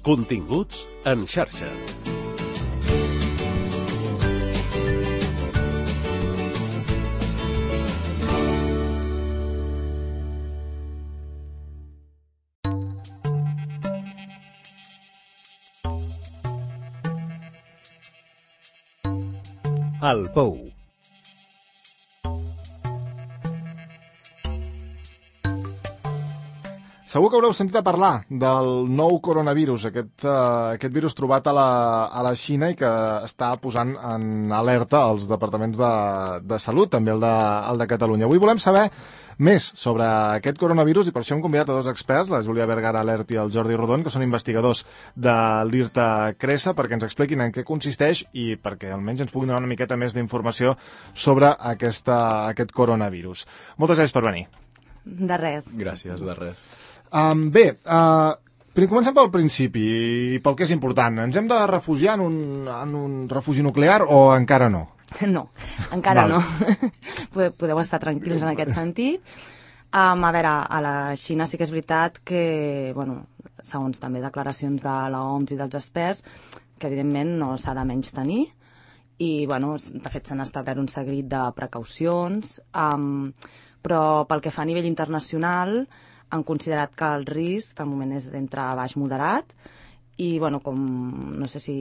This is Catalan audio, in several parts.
Continguts en xarxa. El Pou. Segur que haureu sentit a parlar del nou coronavirus, aquest virus trobat a la Xina i que està posant en alerta els departaments de salut, també el de Catalunya. Avui volem saber més sobre aquest coronavirus i per això hem convidat a dos experts, la Júlia Vergara Alert i el Jordi Rodon, que són investigadors de l'IRTA Cresa, perquè ens expliquin en què consisteix i perquè almenys ens puguin donar una miqueta més d'informació sobre aquest coronavirus. Moltes gràcies per venir. De res. Gràcies, de res. Comencem pel principi i pel que és important. Ens hem de refugiar en un refugi nuclear o encara no? No, encara no. Podeu estar tranquils en aquest sentit. A veure, a la Xina sí que és veritat que, segons també declaracions de l'OMS i dels experts, que evidentment no s'ha de menys tenir i, de fet, s'han establert un seguit de precaucions, però pel que fa a nivell internacional han considerat que el risc de moment és d'entre baix moderat i, com no sé si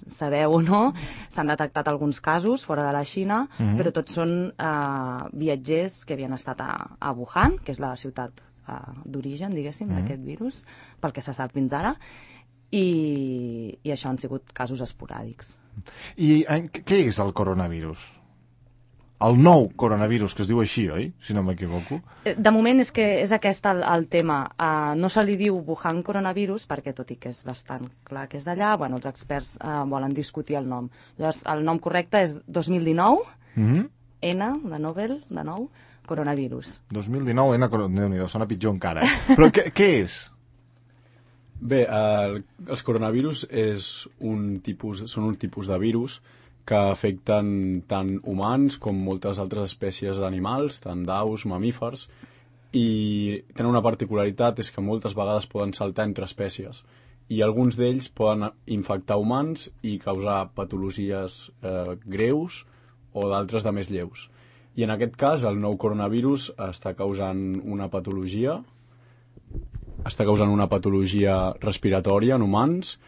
sabeu o no, s'han detectat alguns casos fora de la Xina, però tots són viatgers que havien estat a Wuhan, que és la ciutat d'origen, diguéssim, d'aquest virus, pel que se sap fins ara, i això han sigut casos esporàdics. I què és el coronavirus? El nou coronavirus, que es diu així, oi? Si no m'equivoco. De moment és que és aquest el tema. No se li diu Wuhan coronavirus, perquè tot i que és bastant clar que és d'allà, els experts volen discutir el nom. Llavors, el nom correcte és 2019, N, de Nobel, de nou, coronavirus. 2019, N, Déu-n'hi-do, sona pitjor encara. Però què és? Bé, els coronavirus són un tipus de virus que afecten tant humans com moltes altres espècies d'animals, tant d'aus, mamífers, i tenen una particularitat, és que moltes vegades poden saltar entre espècies, i alguns d'ells poden infectar humans i causar patologies greus o d'altres de més lleus. I en aquest cas, el nou coronavirus està causant una patologia respiratòria en humans,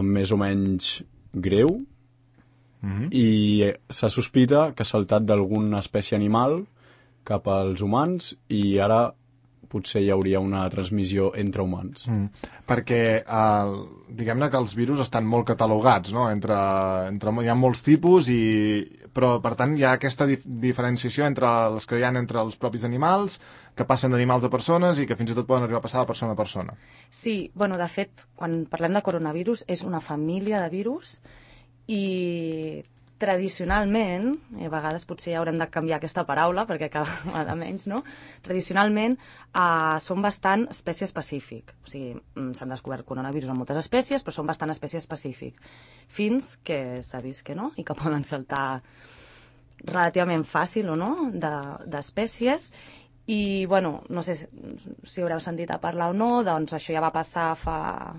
més o menys greu, i se sospita que ha saltat d'alguna espècie animal cap als humans i ara potser hi hauria una transmissió entre humans. Perquè diguem-ne que els virus estan molt catalogats, no? Hi ha molts tipus, però per tant hi ha aquesta diferenciació entre els que hi ha entre els propis animals, que passen d'animals a persones i que fins i tot poden arribar a passar de persona a persona. Sí, de fet, quan parlem de coronavirus és una família de virus i tradicionalment, i a vegades potser haurem de canviar aquesta paraula perquè cada vegada menys, no? Tradicionalment són bastant espècie específic. O sigui, s'han descobert coronavirus en moltes espècies, però són bastant espècie específic. Fins que s'ha vist que no, i que poden saltar relativament fàcil o no, d'espècies. I, no sé si haureu sentit a parlar o no, doncs això ja va passar fa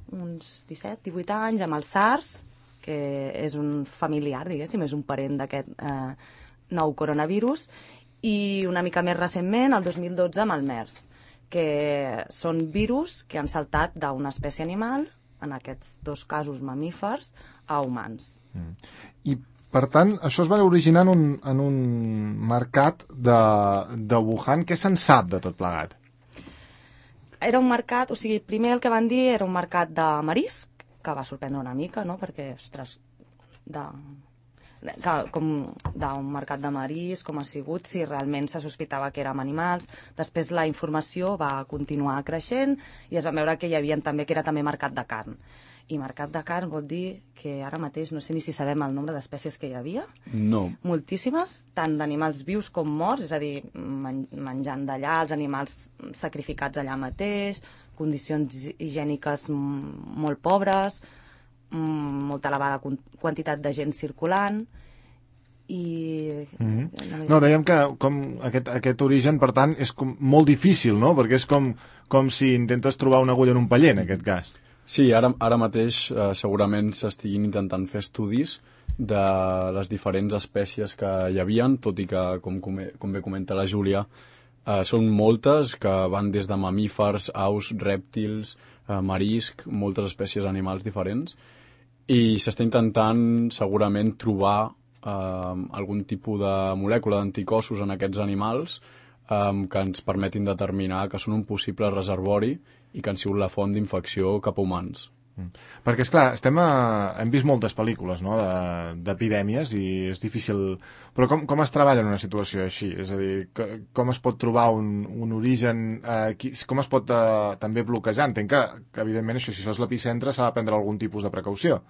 uns 17-18 anys amb el SARS, que és un familiar, diguéssim, és un parent d'aquest nou coronavirus, i una mica més recentment, el 2012, amb el MERS, que són virus que han saltat d'una espècie animal, en aquests dos casos mamífers, a humans. I, per tant, això es va originar en un mercat de Wuhan. Què se'n sap de tot plegat? Era un mercat, o sigui, primer el que van dir era un mercat de marisc, que va sorprendre una mica, no? Perquè, ostres, com d'un mercat de marisc, com ha sigut, si realment se sospitava que érem animals. Després la informació va continuar creixent i es va veure que hi havia també, que era també mercat de carn. I mercat de carn vol dir que ara mateix no sé ni si sabem el nombre d'espècies que hi havia. No. Moltíssimes, tant d'animals vius com morts, és a dir, menjant d'allà, els animals sacrificats allà mateix, condicions higièniques molt pobres, molta elevada quantitat de gent circulant i... No, dèiem que com aquest origen, per tant, és molt difícil, no? Perquè és com si intentes trobar una agulla en un paller, en aquest cas. Sí, ara mateix segurament s'estiguin intentant fer estudis de les diferents espècies que hi havien, tot i que, com bé comenta la Júlia, són moltes, que van des de mamífers, aus, rèptils, marisc, moltes espècies animals diferents, i s'està intentant segurament trobar algun tipus de molècula d'anticossos en aquests animals que ens permetin determinar que són un possible reservori i que han sigut la font d'infecció cap a humans. Perquè, esclar, hem vist moltes pel·lícules, no?, d'epidèmies, i és difícil... Però com es treballa en una situació així? És a dir, com es pot trobar un origen... com es pot també bloquejar? Entenc que evidentment, això, si això és l'epicentre, s'ha de prendre algun tipus de precaució.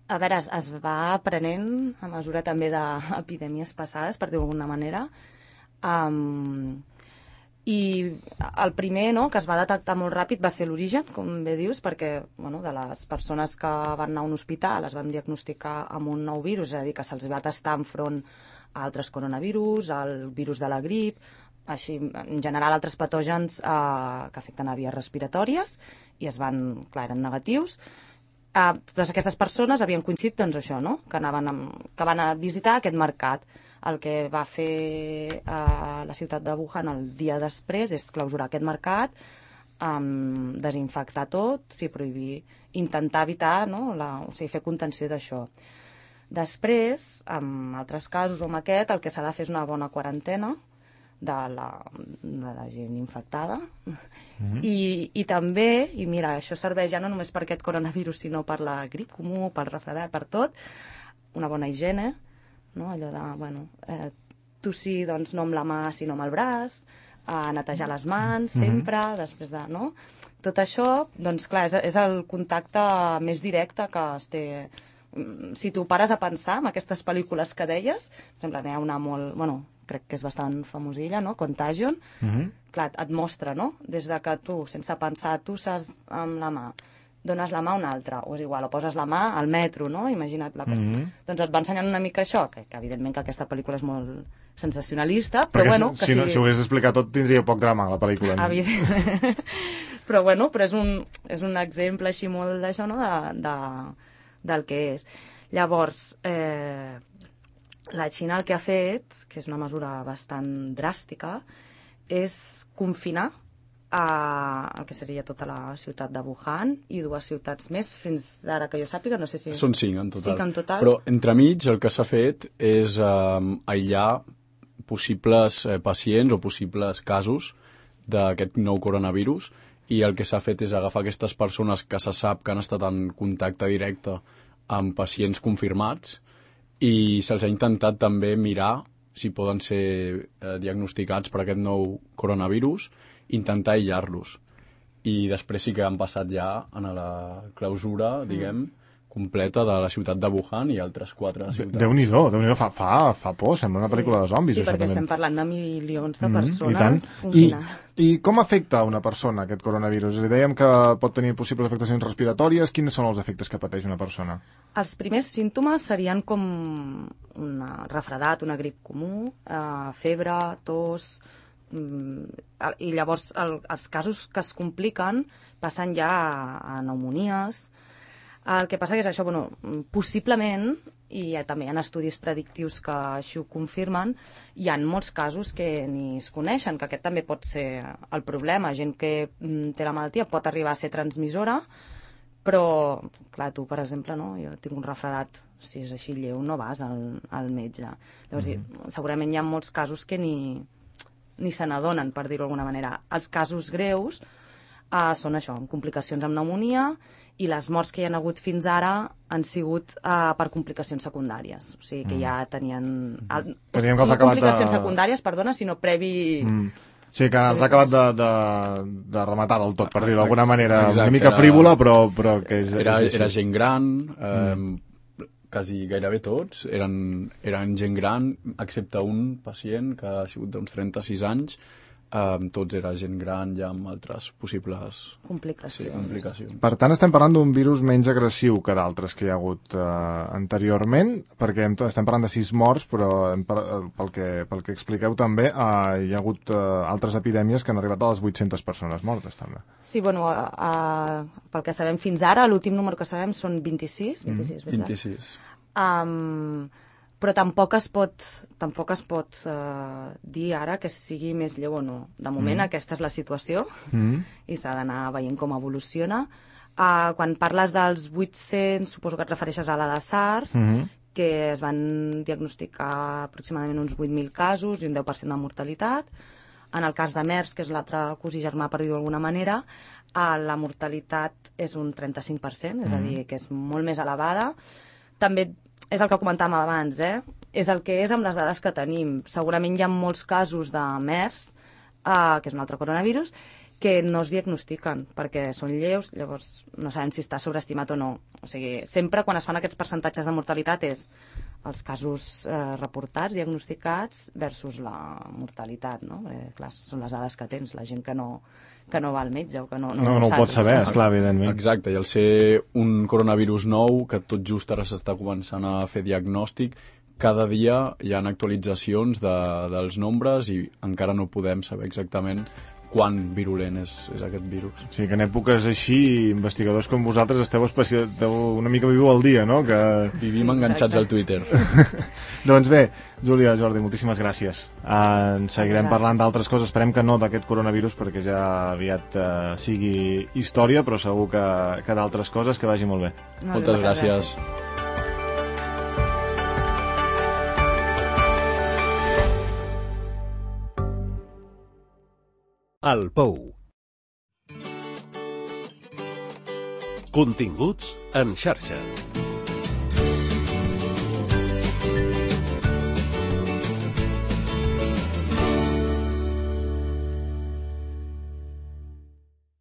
A veure, es va aprenent a mesura també d'epidèmies passades, per dir-ho d'alguna manera. I el primer, no?, que es va detectar molt ràpid va ser l'origen, com bé dius, perquè de les persones que van anar a un hospital es van diagnosticar amb un nou virus, és a dir, que se'ls va testar enfront a altres coronavirus, al virus de la grip, així, en general, altres patògens que afecten a vies respiratòries, i eren negatius. Totes aquestes persones havien coincidit, doncs, això, no?, que van a visitar aquest mercat. El que va fer la ciutat de Wuhan el dia després és clausurar aquest mercat, desinfectar tot, prohibir, intentar evitar, no?, fer contenció d'això. Després, en altres casos o amb aquest, el que s'ha de fer és una bona quarantena de la gent infectada. I també, i mira, això serveix ja no només per aquest coronavirus, sinó per la grip comú, pel refredat, per tot, una bona higiene, no? Allò de, tossir, doncs, no amb la mà, sinó amb el braç, netejar les mans sempre, després de, no? Tot això, doncs, clar, és el contacte més directe que es té. Si tu pares a pensar en aquestes pel·lícules que deies, per exemple, n'hi ha una molt, crec que és bastant famosilla, no?, Contagion, clar, et mostra, no?, des de que tu, sense pensar, tosses amb la mà, dones la mà a un altre, o és igual, o poses la mà al metro, no?, imagina't la cosa. Doncs et va ensenyant una mica això, que evidentment que aquesta pel·lícula és molt sensacionalista, però perquè bueno... Si ho hagués d'explicar tot, tindria poc drama, la pel·lícula. Evidentment. Però és un exemple així molt d'això, no?, del que és. Llavors, la Xina el que ha fet, que és una mesura bastant dràstica, és confinar el que seria tota la ciutat de Wuhan i 2 ciutats més, fins ara que jo sàpiga, no sé si... Són 5 en total. 5 en total. Però entremig el que s'ha fet és aïllar possibles pacients o possibles casos d'aquest nou coronavirus, i el que s'ha fet és agafar aquestes persones que se sap que han estat en contacte directe amb pacients confirmats, i se'ls ha intentat també mirar si poden ser diagnosticats per aquest nou coronavirus, intentar aïllar-los. I després sí que han passat ja a la clausura, diguem, completa de la ciutat de Wuhan i altres 4 ciutats. Déu-n'hi-do, fa por, sembla una pel·lícula de zombis. Sí, perquè estem parlant de milions de persones confinades. I com afecta a una persona aquest coronavirus? Dèiem que pot tenir possibles afectacions respiratòries. Quins són els efectes que pateix una persona? Els primers símptomes serien com un refredat, una grip comú, febre, tos, i llavors els casos que es compliquen passen ja a pneumonies. El que passa que és això, possiblement, i també hi ha estudis predictius que així ho confirmen, hi ha molts casos que ni es coneixen, que aquest també pot ser el problema. Gent que té la malaltia pot arribar a ser transmissora, però, clar, tu, per exemple, no? Jo tinc un refredat, si és així lleu, no vas al metge. Llavors, segurament hi ha molts casos que ni se n'adonen, per dir-ho d'alguna manera. Els casos greus són això, amb complicacions amb pneumonia, i les morts que hi ha hagut fins ara han sigut per complicacions secundàries. O sigui que ja tenien... No complicacions secundàries, perdona, sinó previ... Sí, que els ha acabat de rematar del tot, per dir-ho d'alguna manera. Exacte, una mica frívola, però que és... Era gent gran, quasi gairebé tots eren gent gran, excepte un pacient que ha sigut d'uns 36 anys, tots era gent gran ja amb altres possibles complicacions. Per tant, estem parlant d'un virus menys agressiu que d'altres que hi ha hagut anteriorment, perquè estem parlant de 6 morts, però pel que expliqueu també, hi ha hagut altres epidèmies que han arribat a les 800 persones mortes, també. Sí, bueno, pel que sabem fins ara, l'últim número que sabem són 26, 26. Però tampoc es pot dir ara que sigui més lleu o no. De moment aquesta és la situació i s'ha d'anar veient com evoluciona. Quan parles dels 800, suposo que et refereixes a la de SARS, que es van diagnosticar aproximadament uns 8.000 casos i un 10% de mortalitat. En el cas de MERS, que és l'altre cosí germà, per dir-ho d'alguna manera, la mortalitat és un 35%, és a dir, que és molt més elevada. També és el que comentàvem abans, és el que és amb les dades que tenim. Segurament hi ha molts casos de MERS, que és un altre coronavirus, que no es diagnostiquen perquè són lleus, llavors no sabem si està sobreestimat o no. O sigui, sempre quan es fan aquests percentatges de mortalitat és els casos reportats, diagnosticats, versus la mortalitat, no? Perquè, clar, són les dades que tens, la gent que no va al metge o que no ho pot saber, esclar, evidentment. Exacte, i al ser un coronavirus nou, que tot just ara s'està començant a fer diagnòstic, cada dia hi ha actualitzacions dels nombres i encara no podem saber exactament quan virulent és aquest virus. O sigui que en èpoques així, investigadors com vosaltres esteu una mica viu al dia, no? Que... Vivim enganxats al Twitter. Doncs bé, Júlia, Jordi, moltíssimes gràcies. Seguirem parlant d'altres coses, esperem que no d'aquest coronavirus perquè ja aviat sigui història, però segur que d'altres coses, que vagi molt bé. Moltes gràcies. El Pou. Continguts en xarxa.